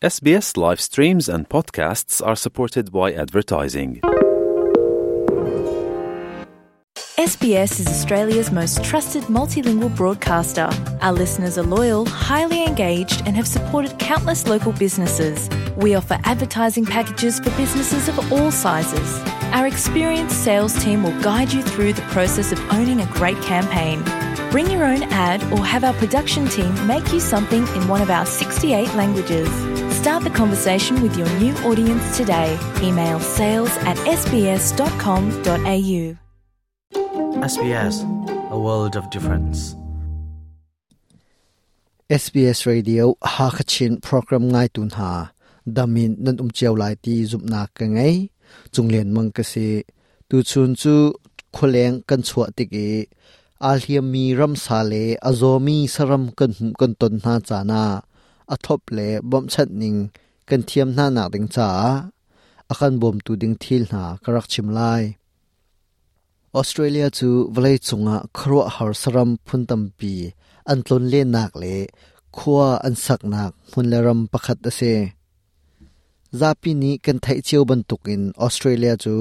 SBS live streams and podcasts are supported by advertising. SBS is Australia's most trusted multilingual broadcaster. Our listeners are loyal, highly engaged, and have supported countless local businesses. We offer advertising packages for businesses of all sizes. Our experienced sales team will guide you through the process of owning a great campaign. Bring your own ad or have our production team make you something in one of our 68 languages. Start the conversation with your new audience today. Email sales at sbs.com.au. SBS, a world of difference. SBS Radio Hakachin program ngai tun ha damin nan um chiao lai ti zumnak ka ngei chunglen mang ka si Tu chun cu khualeng kan chuah tik i aa hliammi ramsa le a zawmi saram kan hmuh kan ton hna caan ah a thop le bawmhchanh ning kan thiam hna nak ding caah a kan bawmtu ding thil hna ka rak chim lai. Australia cu vawlei cungah khuaruahhar saram phun tampi an tlonlennak le khua an saknak hmun le ram pakhat a si. Zapi nih kan theih cio bantukin Australia cu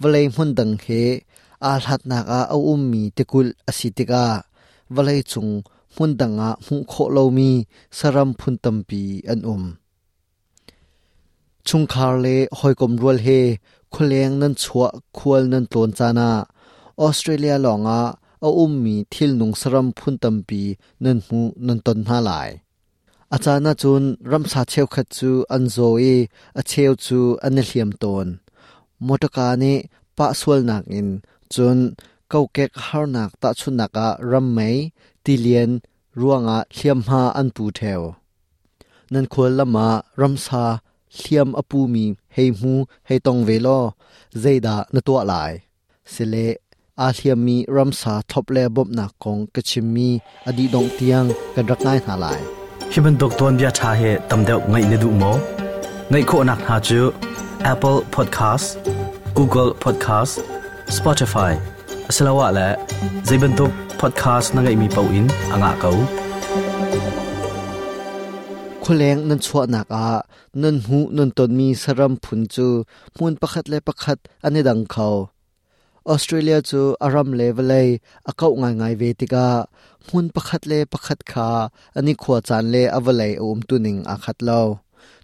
vawlei hmun dang he aa hlatnak ah a ummi tikulh a si tikah vawleicung hmun dang ah hmuh khawh lomi saram phun tampi an um. Chungkhar le hawikom rual he khualeng nan chuah khual nan tlawn caan ah Australia lawngah a ummi thilnung saram phun tampi nan hmuh nan ton hna lai. A caan ahcun ramsa cheukhat cu an zaw i a cheu cu an i hliam tawn. Mawṭaka nih pah sualnak in cun kokek harnak tahchunhnak ah rammei, tilian ruangah hliamhma an pu ṭheo. Nan khual lam ah ramsa hliam a pumi hei hmu hei tong ve law zeidah na tuah lai? Sile aa hliammi ramsa thlop le bawmhnak kong ka chimmi a dih dongh tiang kan rak ngai hna lai. Hi bantuk tuanbia ṭha hi tam deuh ngaih na duh maw? Ngaih khawhnak hna cu Apple Podcast, Google Podcast, Spotify asiloah le zei bantuk podcast na ngeihmi paoh in a ngah ko. Khualeng nan chuahnak ah nan hmuh nan tonmi saram phun cu hmun pakhat le pakhat an i dang kho. Australia cu a ram le vawlei a kauh ngaingai ve tikah hmun pakhat le pakhat kha an i khua caan le a vawlei a umtuning aa khat lo.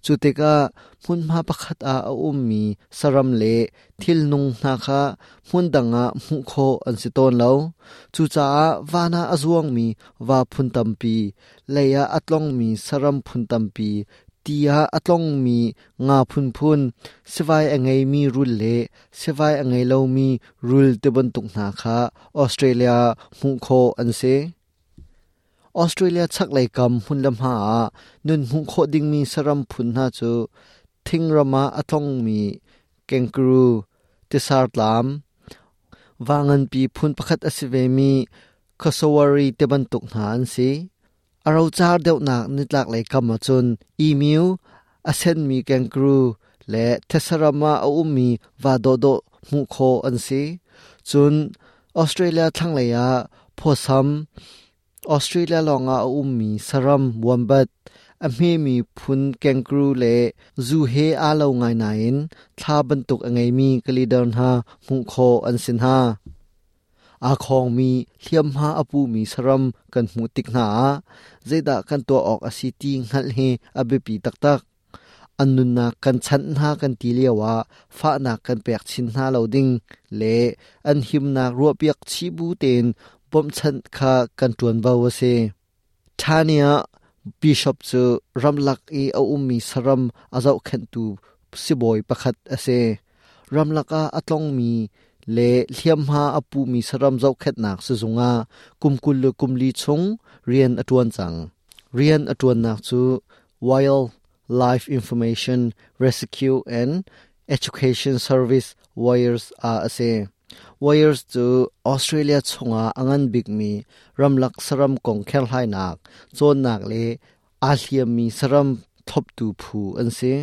Cu tikah hmunhma pakhat ah a ummi saram le thilnung hna kha hmun dang ah hmuh khawh an si tawn lo. Cucaah van ah a zuangmi va phun tampi, lei ah a tlongmi saram phun tampi, ti ah a tlongmi nga phunphun, sivai a ngeimi rul le sivai a ngei lomi rul tibantuk hna kha Australia hmuh khawh an si. Australia chaklei kam hmun le hma ah nun hmuh khawh dingmi saram phun hna cu thingram ah a tlongmi kangaroo, tisartlam, va nganpi phun pakhat a si vemi cassowary tibantuk hna an si. A rocar deuhnak nitlaklei kam ahcun emu, a senmi kangaroo le thesaram ah a ummi va dawhdawh hmuh khawh an si. Cun Australia thlanglei ah phawsam, Australia lawngah a ummi saram wombat, a hmemi phun kangaroo le zu he aa lo ngai nain thla bantuk a ngeimi kalidar hna hmuh khawh an si hna. Aa khawngmi hliamhma a pumi saram kan hmuh tik hna ah zeidah kan tuah awk a si ti hngalh hi a biapi taktak. An nunnak kan chanh hna kan ti lioah fahnak kan pek chin hna lo ding le an himnak ruahpiak chih bu tein bawmhchanh kha kan ṭuanvo a si. Tania Bishop cu ramlak i a ummi saram a zohkhenhtu sibawi pakhat a si. Ramlak ah a tlongmi le hliamhma a pumi saram zohkhenhnak sizung ah kum 20 le kum li chung rian a ṭuan cang. Rian a ṭuannak cu Wildlife Information Rescue and Education Service WIRES ah a si. WIRES cu Australia chungah a ngan bikmi ramlak saram kong kherhlainak, cawnnak le aa hliammi saram thloptu phu an si.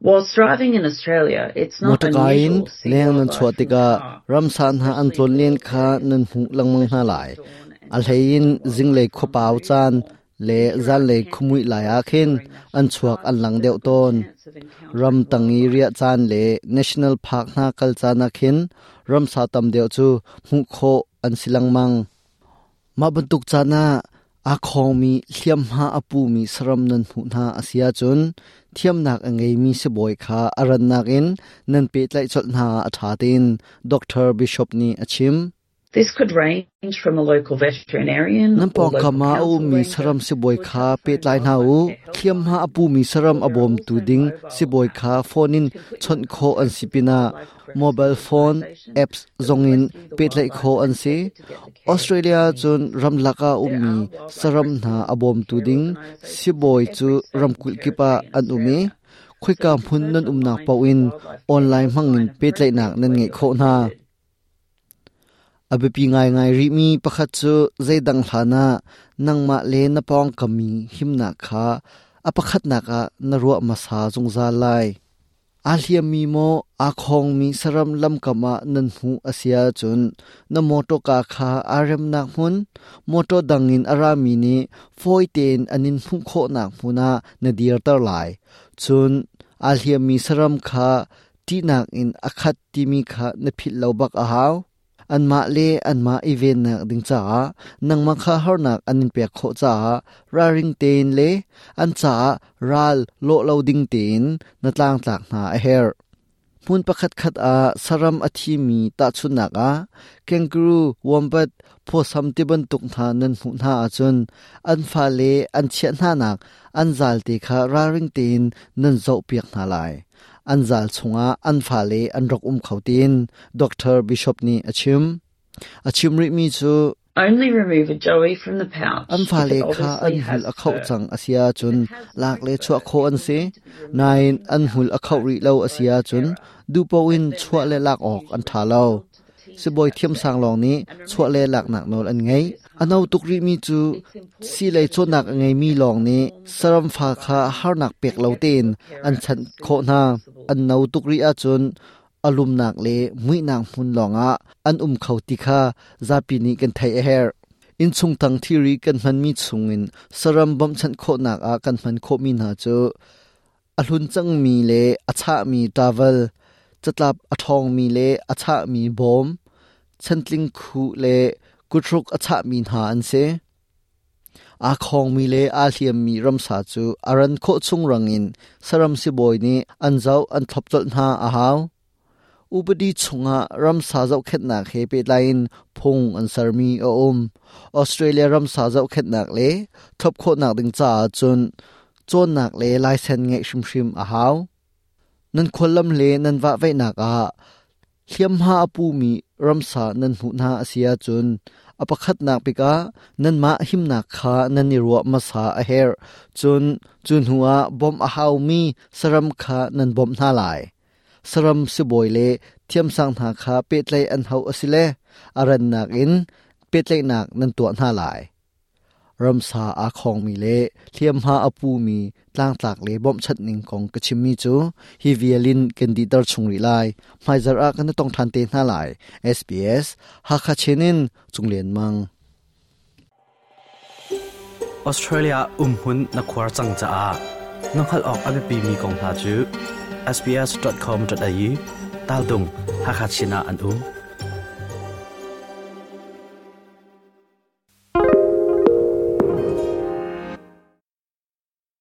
Whilst driving in Australia, it's not Motorka in unusual to see leng nan wildlife chuah from the tikah car, ramsa hna an especially tlawn if len the kha weather nan hmuh lengmang hna lai. dawn A and hlei in dusk when zinglei wildlife are on khuapau the move caan more. le zanlei khumui lai ah khin an chuak an lang deuh tawn. Ram tang i riah caan le national park hna kal caan ah khin ramsa tam deuh cu hmuh khawh an si lengmang. Mah bantuk caan ah aa khawngmi hliamhma a pumi saram nan hmuh hna a si ahcun thiamnak a ngeimi sibawi kha a rannak in nan pehtlaih colh hna ah a ṭha tiin Dr. Bishop nih a chim. This could range from a local veterinarian Nan pawngkam ah a ummi saram sibawi kha pehtlai hna u. Hliamhma a pumi saram a bawmtu ding sibawi kha phone in chawnh khawh an si pinah mobile phone apps zongin pehtlaih khawh an si. Australia cun ramlak ah ummi saram hna a bawmtu ding sibawi cu ramkulh kip ah an um i khoika hmun nan umnak paoh in online hmangin pehtlaihnak nan ngeih khawh hna. A biapi ngaingai rihmi pakhat cu zeidang hlanah nangmah le na pawngkam mi himnak kha a pakhatnak ah na ruah hmasa zungzal lai. Aa hliammi maw aa khawngmi saram lamkam ah nan hmuh a si ahcun na mawṭawka kha aa remnak hmun, mawṭaw dang in a rami nih fawi tein an in hmuh khawhnak hmun ah na dirter lai. Cun aa hliammi saram kha ṭihnak in a khat timi kha na philh lo bak a hau. Anmah le anmah i vennak ding caah nangmah kha harnak an in pek khawh caah ralring tein le an caah ral lawh lo ding tein na tlangtlak hna a herh. Hmun pakhatkhat ah saram a thimi tahchunhnak ah kangaroo, wombat, phawsam ti bantuk hna nan hmuh hna ahcun an fale an chiah hnanak an zalte kha ralring tein nan zohpiak hna lai. An zal chungah an fale an rak um kho tiin Dr. Bishop nih a chim. A chim rihmi cu Only remove a joey from the pouch an if fale it kha obviously an hmul has a khoh fur. cang a si ahcun If it has lak no le fur, chuah khawh it an will si. need to be removed Nain from the an hmul pouch a khoh by rih lo a si specialized ahcun carer. duhpaoh in As their chuah le mouth lak is awk an usually ṭha lo. sealed to the teeth Sibawi at that thiamsang lawng nih and chuah le removal laknak is nawl an usually ngei. serious A no harm. tuk rihmi cu It's important siilei that a cawnnak a joey is ngeimi kept lawng in a nih warm, saram dark fa kha environment harnak pek and lo kept tein with a an carer as chanh soon khawh as hna. possible. An no tuk rih ahcun a lumnak le muihnak hmun lawngah an um kho ti kha zapi nih kan theih a herh. Innchung tang thilri kan hmanmi chungin saram bawmhchanh khawhnak ah kan hman khawhmi hna cu a hlun cangmi le a chahmi towel, catlap a ṭhawngmi le a chahmi bawm, chantling khuh le kuthruk a chahmi hna an si. Aa khawngmi le aa hliammi ramsa cu a ran khawh chung rangin saram sibawi nih an zoh an thlop colh hna a hau. Upadi chungah ramsa zohkhenhnak he pehtlai in phung an sermi a um. Australia ramsa zohkhenhnak le thlop khawhnak ding caah cun cawnnak le laisen ngeih hrimhrim a hau. Nan khuallam le nan vahveihnak ah hliamhma a pumi ramsa nan hmuh hna a si ahcun a pakhatnak bik ah nanmah himnak kha nan i ruah hmasa a herh. Cun cu hnu ah bawmh a haumi saram kha nan bawmh hna lai. Saram sibawi le thiamsang hna kha pehtlaih an hauh a si le a rannak in pehtlaihnak nan tuah hna lai. Ramsa aa khawngmi le hliamhma a pumi tlangtlak le bawmhchanhning kong ka chimmi cu hi vial in kan dihter chung rih lai. Hmaizarh ah kan i tong ṭhan te hna lai. SBS Hakha Chin in Cung Lian Mang. Australia umhmun na khuar cang caah na hngalh awk a biapimi kong hna cu sbs.com.au tal dung Hakha Chin ah an um.